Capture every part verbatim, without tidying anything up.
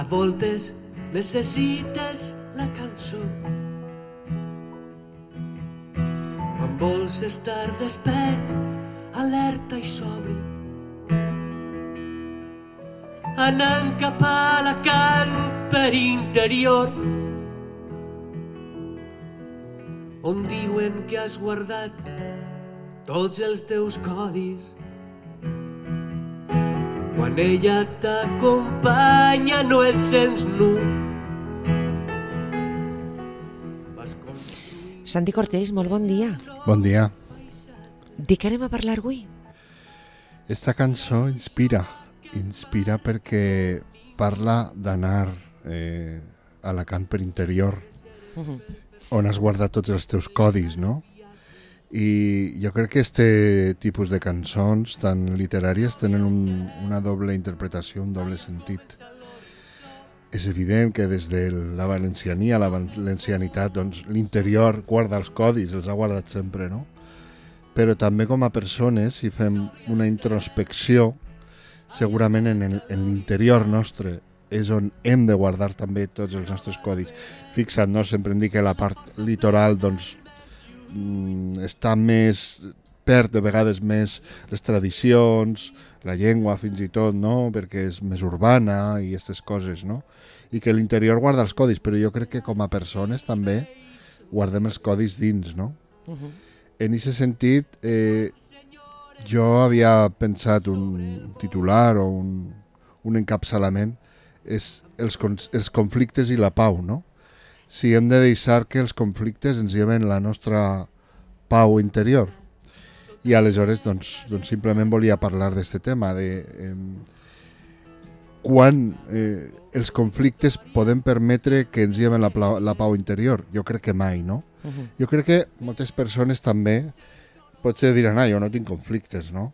A voltes necessites la cançó. Quan vols estar despert, alerta i sobri, anant cap a Alacant per interior, on diuen que has guardat tots els teus codis. Quan ella t'acompanya no et sents nu. Santi Cortés, molt bon dia. Bon dia. De què anem a parlar avui? Esta cançó inspira, inspira perquè parla d'anar eh, a Alacant per interior, uh-huh. on has guardat tots els teus codis, no? I jo crec que este tipus de cançons tan literàries tenen un, una doble interpretació, un doble sentit. És evident que des de la valenciania, la valencianitat, doncs l'interior guarda els codis, els ha guardat sempre, no? Però també com a persones, si fem una introspecció, segurament en, el, en l'interior nostre és on hem de guardar també tots els nostres codis. Fixa't, no? Sempre em dic que la part litoral, doncs, està més, perd de vegades més les tradicions, la llengua fins i tot, no? Perquè és més urbana i aquestes coses, no? I que l'interior guarda els codis, però jo crec que com a persones també guardem els codis dins, no? Uh-huh. En aquest sentit, eh, jo havia pensat un titular o un, un encapçalament, és els, els conflictes i la pau, no? Si hem de deixar que els conflictes ens lleven la nostra pau interior. I aleshores, doncs, doncs simplement volia parlar d'aquest tema, de eh, quan eh, els conflictes podem permetre que ens lleven la, la pau interior. Jo crec que mai, no? Uh-huh. Jo crec que moltes persones també potser diran, ah, jo no tinc conflictes, no?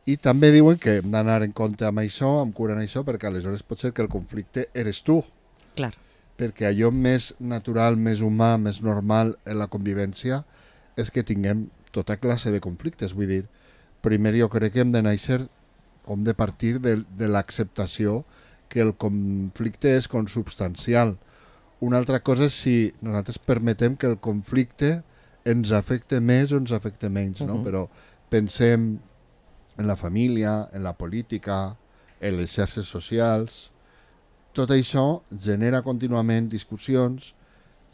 I també diuen que hem d'anar en compte amb això, amb cura en això, perquè aleshores pot ser que el conflicte eres tu. Clar. Perquè allò més natural, més humà, més normal en la convivència és que tinguem tota classe de conflictes. Vull dir, primer jo crec que hem de néixer, hem de partir de, de l'acceptació que el conflicte és consubstancial. Una altra cosa és si nosaltres permetem que el conflicte ens afecte més o ens afecte menys, no? Uh-huh. Però pensem en la família, en la política, en les xarxes socials. Tot això genera contínuament discussions,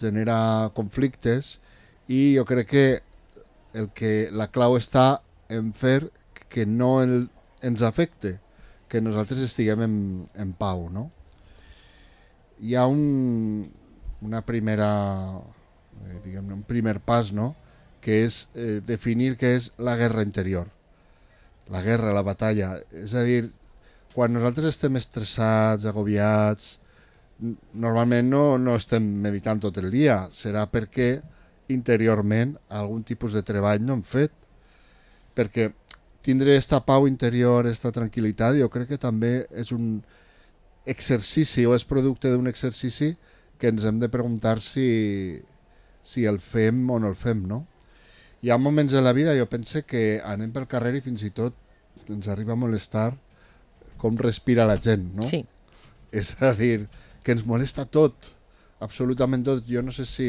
genera conflictes i jo crec que, el que la clau està en fer que no el, ens afecte, que nosaltres estiguem en, en pau, no? Hi ha un, una primera, eh, diguem-ne, un primer pas, no? Que és eh, definir què és la guerra interior, la guerra, la batalla, és a dir, quan nosaltres estem estressats, agobiats, normalment no, no estem meditant tot el dia. Serà perquè interiorment algun tipus de treball no hem fet. Perquè tindre esta pau interior, esta tranquil·litat, jo crec que també és un exercici o és producte d'un exercici que ens hem de preguntar si, si el fem o no el fem, no? Hi ha moments en la vida, jo pense que anem pel carrer i fins i tot ens arriba a molestar com respira la gent, no? Sí. És a dir, que ens molesta tot, absolutament tot. Jo no sé si,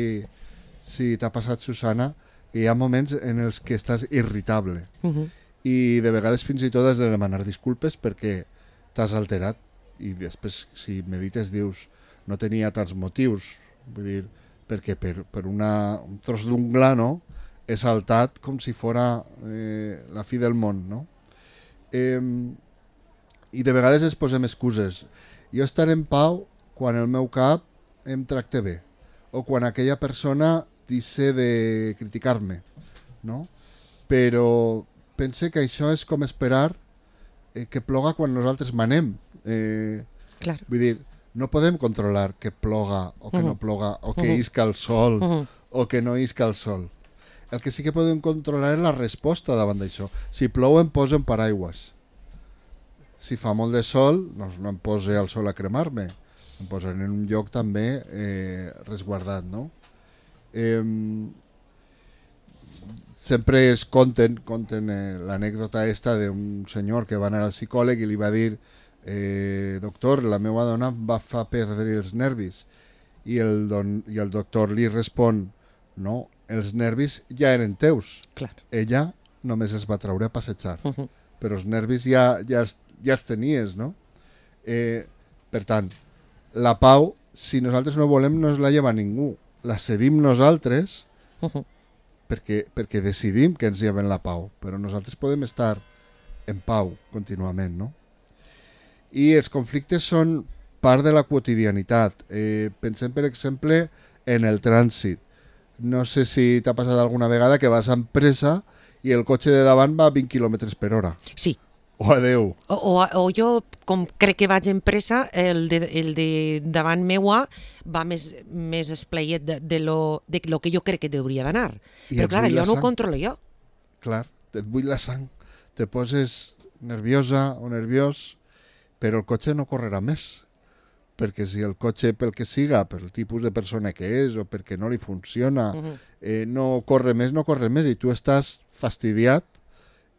si t'ha passat, Susana, que hi ha moments en els que estàs irritable. Uh-huh. I de vegades fins i tot has de demanar disculpes perquè t'has alterat i després, si medites, dius no tenia tants motius. Vull dir, perquè per, per una, un tros d'ungla, no? He saltat com si fora eh, la fi del món, no? Eh, I de vegades ens posem excuses. Jo estaré en pau quan el meu cap em tracta bé o quan aquella persona deixa de criticar-me, no? Però pense que això és com esperar eh, que ploga quan nosaltres manem. Eh, Clar. Vull dir, no podem controlar que ploga o que uh-huh. no ploga o que uh-huh. isca el sol uh-huh. o que no isca el sol. El que sí que podem controlar és la resposta davant d'això. Si plou em poso en paraigües. Si fa molt de sol, doncs no em poso al sol a cremar-me. Em posaré en un lloc també eh, resguardat, no? Eh, sempre es conten, conten eh, l'anècdota esta d'un senyor que va anar al psicòleg i li va dir eh, doctor, la meva dona va fa perdre els nervis. I el, don, i el doctor li respon, no, els nervis ja eren teus. Clar. Ella només es va treure a passejar. Uh -huh. Però els nervis ja, ja, els, ja els tenies, no? Eh, per tant, la pau, si nosaltres no volem, no es la lleva ningú. La cedim nosaltres Uh -huh. perquè, perquè decidim que ens lleven la pau. Però nosaltres podem estar en pau contínuament, no? I els conflictes són part de la quotidianitat. Eh, pensem, per exemple, en el trànsit. No sé si t'ha passat alguna vegada que vas amb pressa i el cotxe de davant va a vint quilòmetres per hora. Sí. O adeu. O, o, o jo, com crec que vaig en pressa, el de, el de davant meua va més, més espleiet de, de, lo, de lo que jo crec que hauria d'anar. I Però et clar, bull la allò no ho sang. controlo jo. Clar, et bull la sang. Te poses nerviosa o nerviós, però el cotxe no correrà més. Perquè si el cotxe, pel que siga, pel tipus de persona que és o perquè no li funciona, Uh -huh. eh, no corre més, no corre més, i tu estàs fastidiat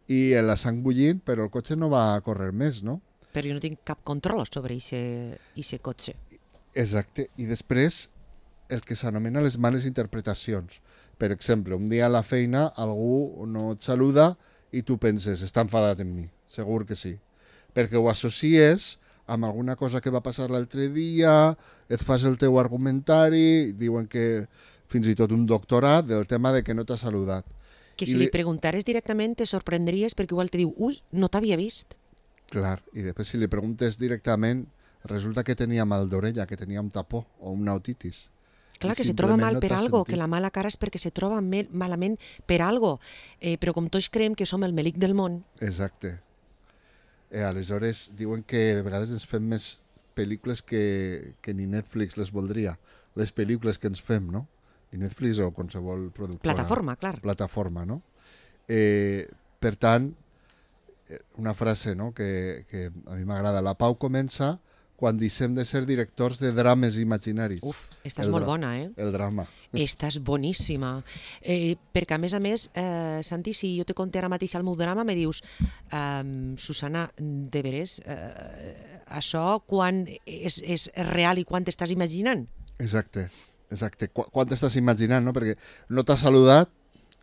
i la sang bullint, però el cotxe no va a córrer més, no? Però jo no tinc cap control sobre aquest cotxe. Exacte. I després, el que s'anomena les males interpretacions. Per exemple, un dia a la feina algú no et saluda i tu penses, està enfadat amb mi. Segur que sí. Perquè ho associes amb alguna cosa que va passar l'altre dia, et fas el teu argumentari, diuen que fins i tot un doctorat del tema de que no t'ha saludat. Que I si li- li preguntares directament te sorprendries perquè igual te diu, ui, no t'havia vist. Clar, i després si li preguntes directament, resulta que tenia mal d'orella, que tenia un tapó o una otitis. Clar, I que se troba simplement mal no per t'ha algo, sentit. que la mala cara és perquè se troba me- malament per algo. Eh, però com tots creiem que som el melic del món, Exacte. Eh, aleshores, diuen que de vegades ens fem més pel·lícules que, que ni Netflix les voldria. Les pel·lícules que ens fem, no? I Netflix o qualsevol productora. plataforma, clar. Plataforma, no? Eh, per tant, eh, una frase, no?, que, que a mi m'agrada. La pau comença quan deixem de ser directors de drames imaginaris. Uf, estàs El molt dra- bona, eh? El drama. Estàs boníssima. Eh, perquè, a més a més, eh, Santi, si jo te conté ara mateix el meu drama, me dius, um, Susana, de veres, eh, això quan és, és real i quan t'estàs imaginant? Exacte, exacte. Qu quan t'estàs imaginant, no? Perquè no t'ha saludat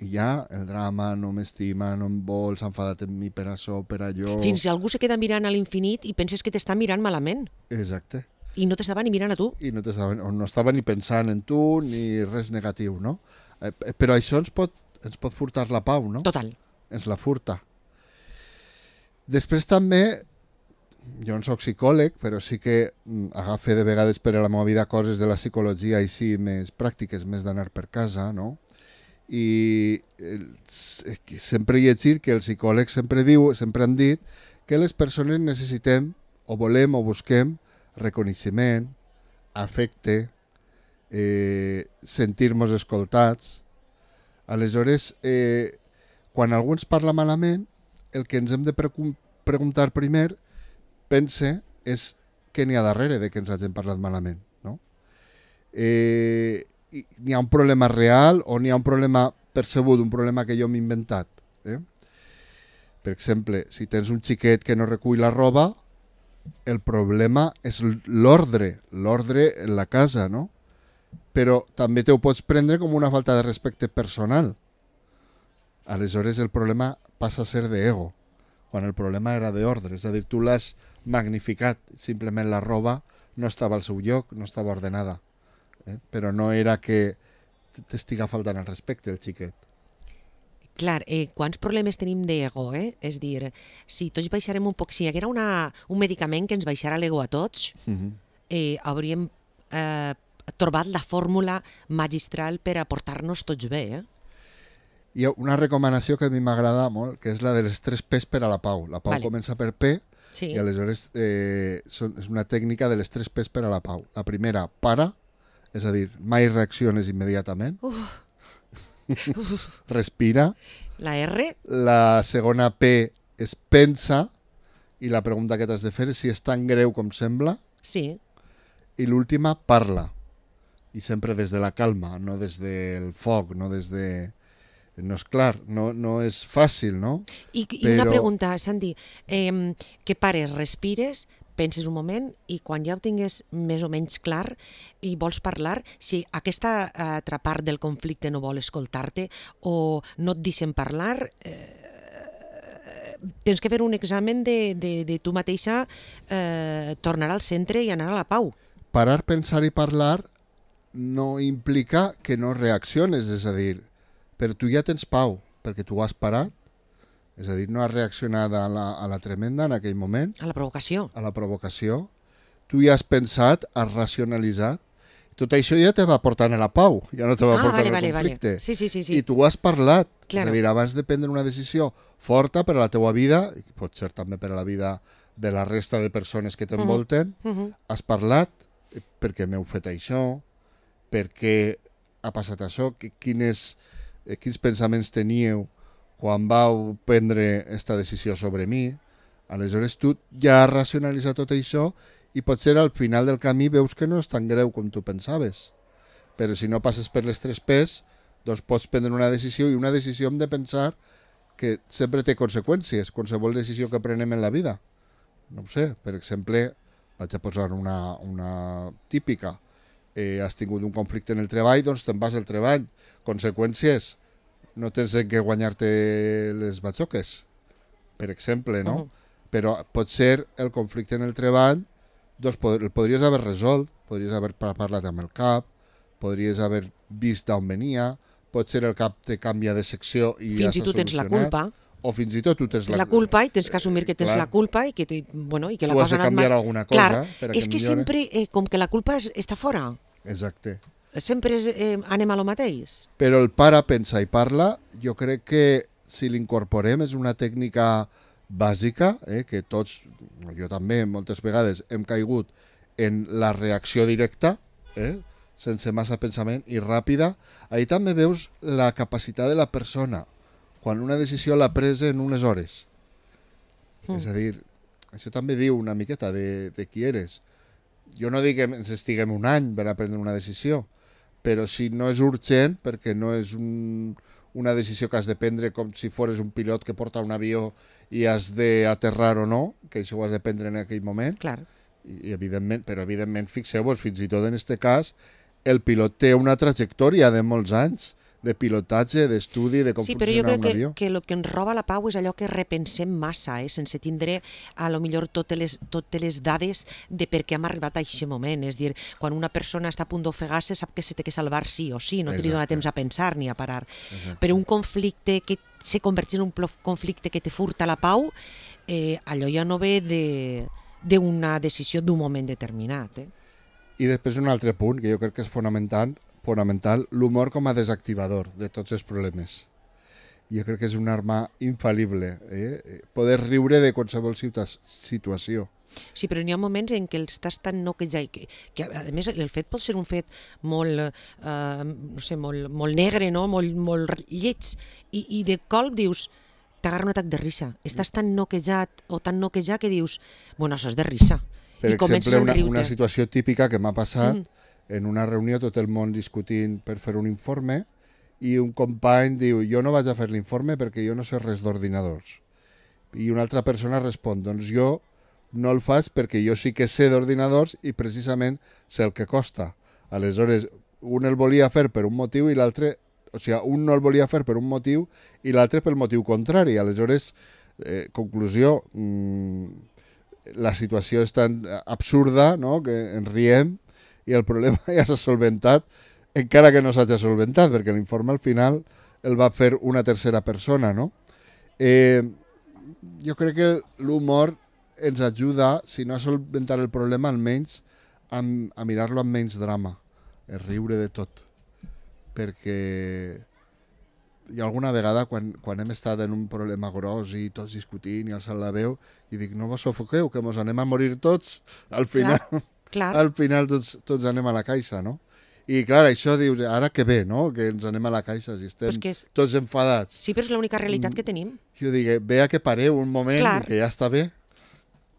i ja el drama, no m'estima, no em vol, s'ha enfadat amb mi per això, per allò... Fins si algú se queda mirant a l'infinit i penses que t'està mirant malament Exacte. i no t'estava ni mirant a tu. I no, o no estava ni pensant en tu ni res negatiu, no? Eh, però això ens pot, ens pot furtar la pau, no? Total. Ens la furta. Després també, jo no soc psicòleg, però sí que mm, agafe de vegades per a la meva vida coses de la psicologia així més pràctiques, més d'anar per casa, no? I el, sempre he llegit que els psicòlegs sempre diu, sempre han dit que les persones necessitem o volem o busquem reconeixement, afecte, eh, sentir-nos escoltats. Aleshores, eh, quan algú ens parla malament, el que ens hem de pre preguntar primer, pense, és què n'hi ha darrere de que ens hagin parlat malament, no? Eh, n'hi ha un problema real o n'hi ha un problema percebut, un problema que jo m'he inventat. Eh? Per exemple, si tens un xiquet que no recull la roba, el problema és l'ordre, l'ordre en la casa, no? Però també te ho pots prendre com una falta de respecte personal. Aleshores el problema passa a ser d'ego, quan el problema era d'ordre, és a dir, tu l'has magnificat, simplement la roba no estava al seu lloc, no estava ordenada, eh? Però no era que t'estiga faltant el respecte el xiquet. Clar, eh, quants problemes tenim d'ego, eh? És dir, si tots baixarem un poc, si hi haguera una, un medicament que ens baixara l'ego a tots, Uh -huh. eh, hauríem eh, trobat la fórmula magistral per a portar-nos tots bé, eh? Hi ha una recomanació que a mi m'agrada molt, que és la de les tres P's per a la pau. La pau Vale. comença per P, Sí. i aleshores eh, són, és una tècnica de les tres P's per a la pau. La primera, para, és a dir, mai reacciones immediatament. Uf, Respira. la R, La segona P és pensa, i la pregunta que t'has de fer és si és tan greu com sembla. sí. I l'última, parla. I sempre des de la calma, no des del foc, no des de... No és clar, no, no és fàcil, no? I, i una Però- pregunta, Santi, eh, que pares, respires, penses un moment i quan ja ho tingues més o menys clar i vols parlar, si aquesta altra part del conflicte no vol escoltar-te o no et deixen parlar, eh, tens que fer un examen de, de, de tu mateixa, eh, tornar al centre i anar a la pau. Parar, pensar i parlar no implica que no reacciones, és a dir, però tu ja tens pau, perquè tu has parat, és a dir, no has reaccionat a la, a la tremenda en aquell moment. A la provocació. A la provocació. Tu ja has pensat, has racionalitzat, tot això ja te va portant a la pau, ja no te va ah, portar vale, al vale, conflicte. Vale. Sí, sí, sí, sí. I tu has parlat, claro. És a dir, abans de prendre una decisió forta per a la teua vida, i pot ser també per a la vida de la resta de persones que t'envolten, uh -huh. Uh -huh. has parlat perquè m'heu fet això, perquè ha passat això, quines, quins pensaments teníeu quan vau prendre aquesta decisió sobre mi. Aleshores tu ja has racionalitzat tot això i potser al final del camí veus que no és tan greu com tu pensaves. Però si no passes per les tres P's, doncs pots prendre una decisió, i una decisió hem de pensar que sempre té conseqüències, qualsevol decisió que prenem en la vida. No ho sé, per exemple, vaig a posar una, una típica. Eh, has tingut un conflicte en el treball, doncs te'n vas al treball. Conseqüències, no tens en què guanyar-te les batxoques, per exemple, no? Uh-huh. Però potser el conflicte en el treball doncs el podries haver resolt, podries haver parlat amb el cap, podries haver vist d'on venia, potser el cap te canvia de secció i ja s'ha solucionat. Fins i tu tens la culpa. O fins i tot tu tens la, la culpa i tens que assumir que tens eh, la culpa i que, te, bueno, i que la cosa ha anat canviar mal. Alguna cosa. Clar, per és que, que sempre, eh, com que la culpa és, està fora. Exacte. Sempre és, eh, anem a lo mateix. Però el para, pensa i parla, jo crec que si l'incorporem és una tècnica bàsica, eh, que tots, jo també moltes vegades hem caigut en la reacció directa, eh, sense massa pensament i ràpida. Ahí també veus la capacitat de la persona quan una decisió l'ha presa en unes hores. Mm. És a dir, això també diu una miqueta de, de qui eres. Jo no dic que ens estiguem un any per a prendre una decisió, però si no és urgent, perquè no és un, una decisió que has de prendre com si fores un pilot que porta un avió i has d'aterrar o no, que això ho has de prendre en aquell moment. Clar. I, evidentment, però evidentment, fixeu-vos, fins i tot en aquest cas, el pilot té una trajectòria de molts anys de pilotatge, d'estudi, de com sí, funciona un avió. Sí, però jo crec que, que el que ens roba la pau és allò que repensem massa, eh? Sense tindre a lo millor totes les, totes les dades de per què hem arribat a aquest moment. És dir, quan una persona està a punt d'ofegar-se sap que se té que salvar sí o sí, no te li dona temps a pensar ni a parar. Exacte. Però un conflicte que se converteix en un conflicte que te furta la pau, eh, allò ja no ve d'una decisió d'un moment determinat. Eh? I després un altre punt que jo crec que és fonamental, fonamental, l'humor com a desactivador de tots els problemes. Jo crec que és una arma infal·lible, eh? Poder riure de qualsevol situació. Sí, però n'hi ha moments en què estàs tan noquejat, que, que a més el fet pot ser un fet molt, eh, no sé, molt, molt negre, no? molt, molt lleig, i, i de colp dius, t'agarra un atac de risa. Estàs tan noquejat o tan noquejat que dius, bueno, això és de risa. Per I exemple, una, una situació típica que m'ha passat, mm. en una reunió tot el món discutint per fer un informe i un company diu, jo no vaig a fer l'informe perquè jo no sé res d'ordinadors. I una altra persona respon, doncs jo no el faig perquè jo sí que sé d'ordinadors i precisament sé el que costa. Aleshores, un el volia fer per un motiu i l'altre, o sigui, un no el volia fer per un motiu i l'altre pel motiu contrari. Aleshores, eh, conclusió, mmm, la situació és tan absurda, no?, que ens riem i el problema ja s'ha solventat, encara que no s'hagi solventat, perquè l'informe al final el va fer una tercera persona, no? Eh, jo crec que l'humor ens ajuda, si no a solventar el problema, almenys a, a mirar-lo amb menys drama, a riure de tot. Perquè hi ha alguna vegada, quan, quan hem estat en un problema gros i tots discutint i alçant la veu, i dic, no vos sofoqueu, que mos anem a morir tots, al final... Clar. Clar. Al final tots, tots anem a la caixa, no? I clar, això dius, ara que bé, no?, que ens anem a la caixa si estem és... tots enfadats. Sí, però és l'única realitat que tenim. Jo dic, ve a que pareu un moment, clar, que ja està bé,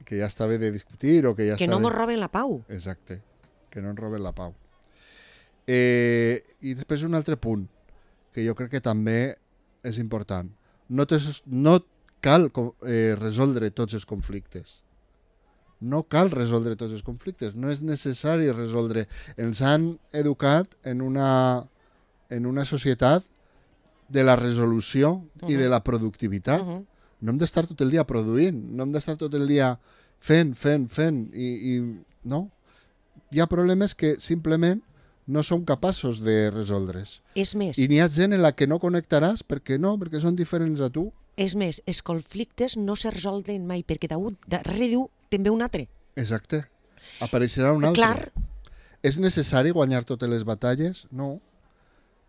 que ja està bé de discutir o que ja que està no bé... mos roben la pau. Exacte, que no ens roben la pau. Eh, I després un altre punt, que jo crec que també és important. No, tes, no cal eh, resoldre tots els conflictes. No cal resoldre tots els conflictes, no és necessari resoldre. Ens han educat en una, en una societat de la resolució uh-huh. i de la productivitat. Uh-huh. No hem d'estar tot el dia produint, no hem d'estar tot el dia fent, fent, fent, i, i no. Hi ha problemes que simplement no som capaços de resoldre's. És més. I n'hi ha gent en la que no connectaràs, perquè no, perquè són diferents a tu. És més, els conflictes no se resolven mai, perquè darrere diu també un altre. Exacte. Apareixerà un altre. Clar. És necessari guanyar totes les batalles? No.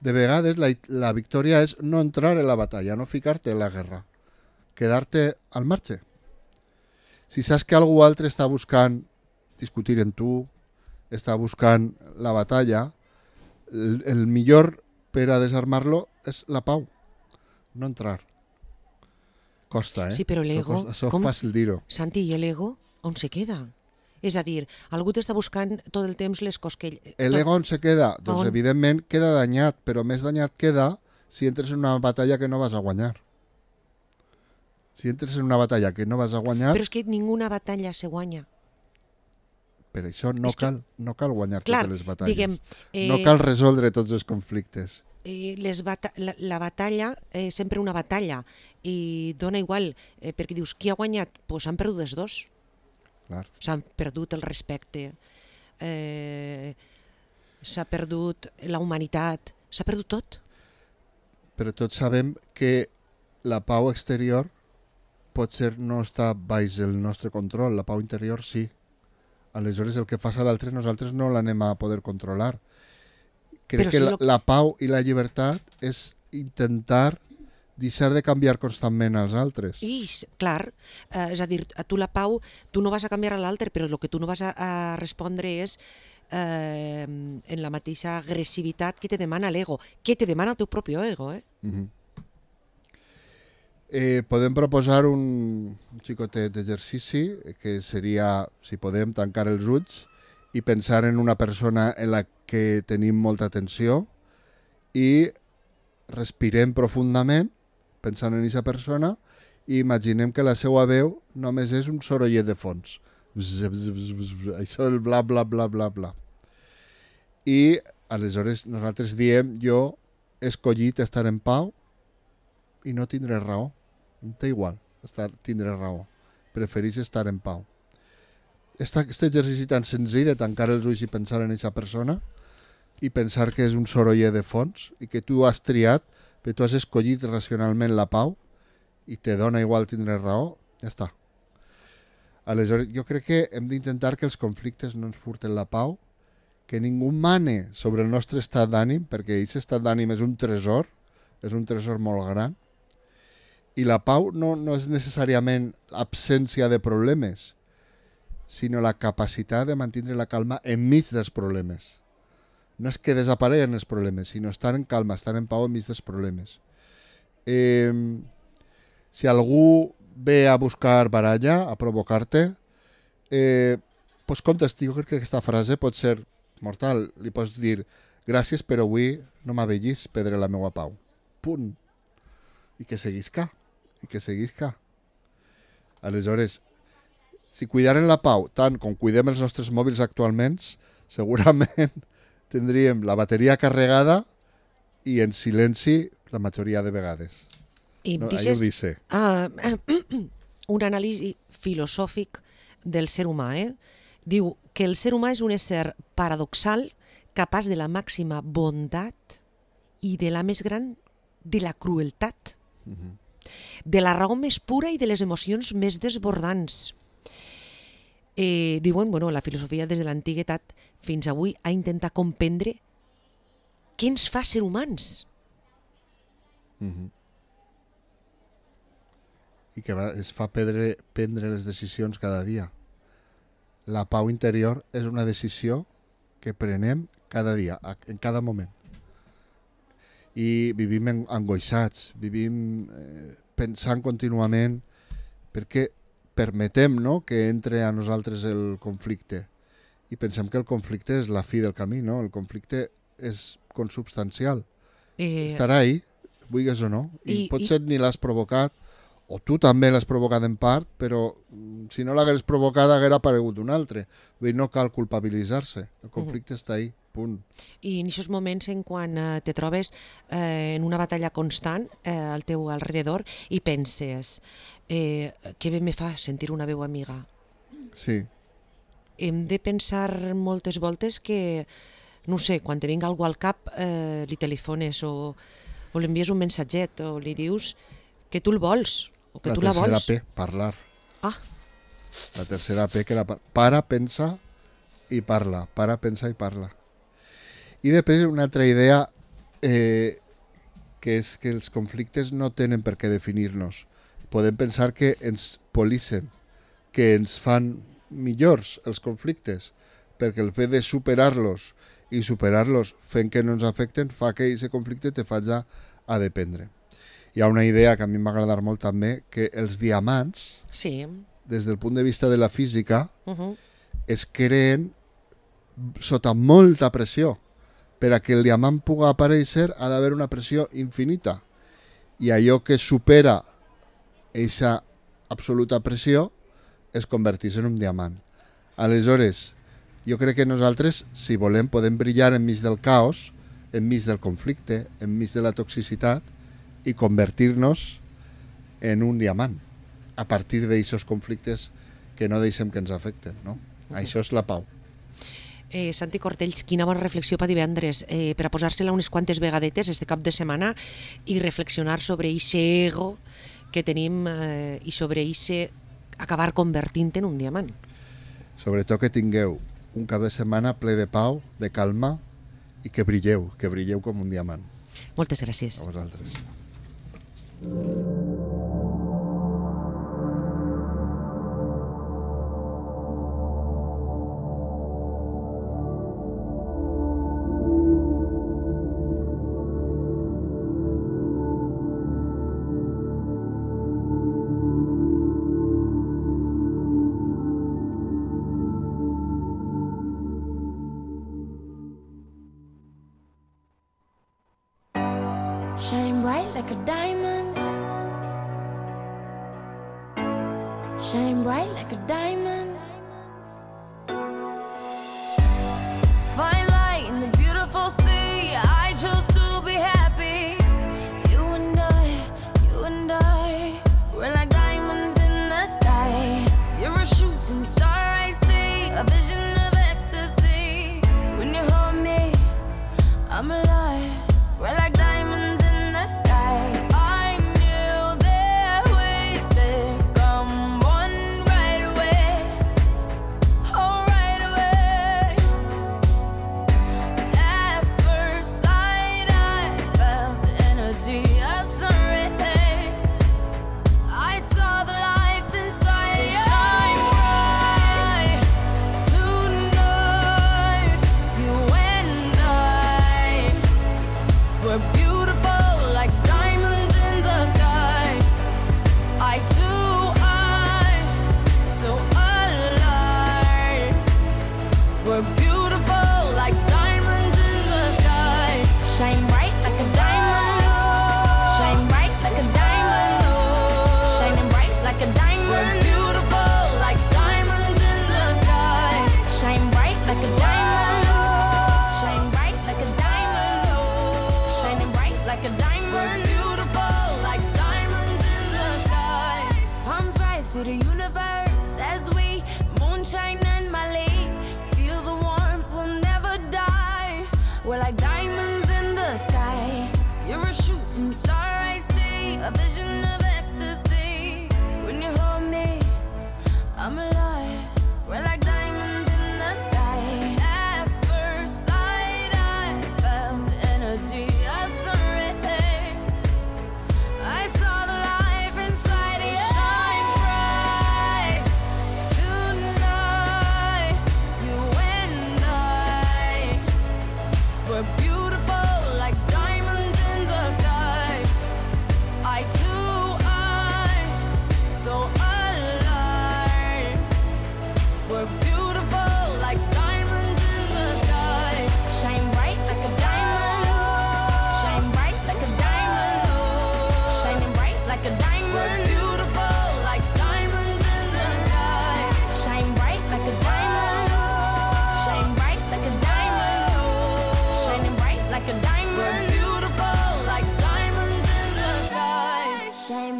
De vegades la, la victòria és no entrar en la batalla, no ficar-te en la guerra. Quedar-te al marge. Si saps que algú altre està buscant discutir en tu, està buscant la batalla, el, el millor per a desarmar-lo és la pau. No entrar. Costa, eh? Sí, però l'ego... Això és fàcil dir-ho. Santi, i l'ego on se queda? És a dir, algú t'està buscant tot el temps les cosquelles. L'ego on se queda? Doncs on? Evidentment queda danyat, però més danyat queda si entres en una batalla que no vas a guanyar. Si entres en una batalla que no vas a guanyar... Però és que ninguna batalla se guanya. Per això no, cal, no cal guanyar clar, totes les batalles. Diguem, eh, no cal resoldre tots els conflictes. Eh, les bata la, la batalla és eh, sempre una batalla i dona igual, eh, perquè dius, qui ha guanyat? Doncs pues han perdut els dos. S'han perdut el respecte, eh, s'ha perdut la humanitat, s'ha perdut tot. Però tots sabem que la pau exterior potser no està baix el nostre control, la pau interior sí. Aleshores el que fa a l'altre nosaltres no l'anem a poder controlar. Crec Però que si la, lo... la pau i la llibertat és intentar deixar de canviar constantment als altres. I, clar, eh, és a dir, a tu la pau, tu no vas a canviar a l'altre, però el que tu no vas a, a respondre és eh, en la mateixa agressivitat que te demana l'ego, que te demana el teu propi ego, eh? Uh-huh. Eh, podem proposar un xicotet d'exercici que seria, si podem, tancar els ulls i pensar en una persona en la que tenim molta atenció i respirem profundament pensant en aquesta persona i imaginem que la seva veu només és un sorollet de fons. Bzz, bzz, bzz, bzz, això el bla bla bla bla bla. I aleshores nosaltres diem jo he escollit estar en pau i no tindré raó. Em té igual, estar, tindré raó. Preferís estar en pau. Aquest exercici tan senzill de tancar els ulls i pensar en aquesta persona i pensar que és un sorollet de fons i que tu has triat, que tu has escollit racionalment la pau i te dona igual tindre raó, ja està. Aleshores, jo crec que hem d'intentar que els conflictes no ens furten la pau, que ningú mane sobre el nostre estat d'ànim, perquè aquest estat d'ànim és un tresor, és un tresor molt gran, i la pau no, no és necessàriament absència de problemes, sinó la capacitat de mantenir la calma enmig dels problemes. No és que desapareguen els problemes, sinó estar en calma, estar en pau enmig dels problemes. Eh, si algú ve a buscar baralla, a provocar-te, eh, pues contesti, jo crec que aquesta frase pot ser mortal. Li pots dir, gràcies, però avui no m'avellis perdre la meva pau. Punt. I que seguisca. I que seguisca. Aleshores, si cuidaren la pau tant com cuidem els nostres mòbils actualment, segurament tindríem la bateria carregada i en silenci la majoria de vegades. I no, dices, dice. Uh, un anàlisi filosòfic del ser humà. Eh? Diu que el ser humà és un ésser paradoxal, capaç de la màxima bondat i de la més gran de la crueltat, uh-huh. de la raó més pura i de les emocions més desbordants. Eh, diuen, bueno, la filosofia des de l'antiguitat fins avui ha intentat comprendre què ens fa ser humans. Uh-huh. I que va, es fa prendre, prendre les decisions cada dia. La pau interior és una decisió que prenem cada dia, en cada moment. I vivim en, angoixats, vivim eh, pensant contínuament perquè permetem, no?, que entre a nosaltres el conflicte i pensem que el conflicte és la fi del camí, no? El conflicte és consubstancial. Eh... Estarà ahí, vulguis o no, i, I potser i... ni l'has provocat o tu també l'has provocat en part, però si no l'hagués provocat haguera aparegut un altre. Vull dir, no cal culpabilitzar-se, el conflicte uh-huh. està ahí, punt. I en aquests moments en quan eh, te trobes eh, en una batalla constant eh, al teu alrededor i penses eh, què bé me fa sentir una veu amiga. Sí. Hem de pensar moltes voltes que, no sé, quan te vinga algú al cap eh, li telefones o, o li envies un mensatget o li dius que tu el vols o que la tu la vols. La tercera P, parlar. Ah. La tercera P, que era para, pensa i parla. Para, pensa i parla. I després una altra idea eh, que és que els conflictes no tenen per què definir-nos. Podem pensar que ens polissen, que ens fan millors els conflictes, perquè el fet de superar-los i superar-los fent que no ens afecten fa que aquest conflicte te faci a dependre. Hi ha una idea que a mi m'ha agradat molt també, que els diamants, sí. des del punt de vista de la física, uh-huh. es creen sota molta pressió. Per a que el diamant pugui aparèixer ha d'haver una pressió infinita. I allò que supera aquesta absoluta pressió es converteix en un diamant. Aleshores, jo crec que nosaltres, si volem, podem brillar enmig del caos, enmig del conflicte, enmig de la toxicitat i convertir-nos en un diamant a partir d'aquests conflictes que no deixem que ens afecten, no? Uh-huh. Això és la pau. Eh, Santi Cortells, quina bona reflexió per divendres, eh, per a posar-se-la unes quantes vegadetes este cap de setmana i reflexionar sobre aquest ego que tenim eh, i sobre aquest acabar convertint en un diamant. Sobretot que tingueu un cap de setmana ple de pau, de calma i que brilleu, que brilleu com un diamant. Moltes gràcies. A vosaltres. Shine bright like a diamond. Shine bright like a diamond. Find light in the beautiful sea. I chose to be happy. You and I, you and I, we're like diamonds in the sky. You're a shooting star, I see, a vision of ecstasy. When you hold me, I'm alive. We're like diamonds in the sky. I knew that we'd become one right away. Oh, right away. At first sight, I felt the energy of sun rays. I saw the life inside. So shine bright tonight. You and I, we're beautiful like diamonds in the sky. I too, I, so alive. We're beautiful like diamonds in the sky. Shine bright like a diamond. Shine bright like a diamond. Shining bright like a diamond. We're beautiful like diamonds in the sky. Shine bright like a diamond. Shine bright like a diamond. Shining bright like a diamond. We're beautiful like diamonds in the sky. Palms rise to the universe as we moonshine and Mali. Feel the warmth, we'll never die. We're like diamonds in the sky. You're a shooting star, I see, a vision of ecstasy. When you hold me, I'm alive. We're like diamonds in the sky. At first sight, I felt the energy of sun rays. I saw the life inside you. Shine bright tonight.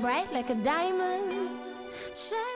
bright like a diamond. Shine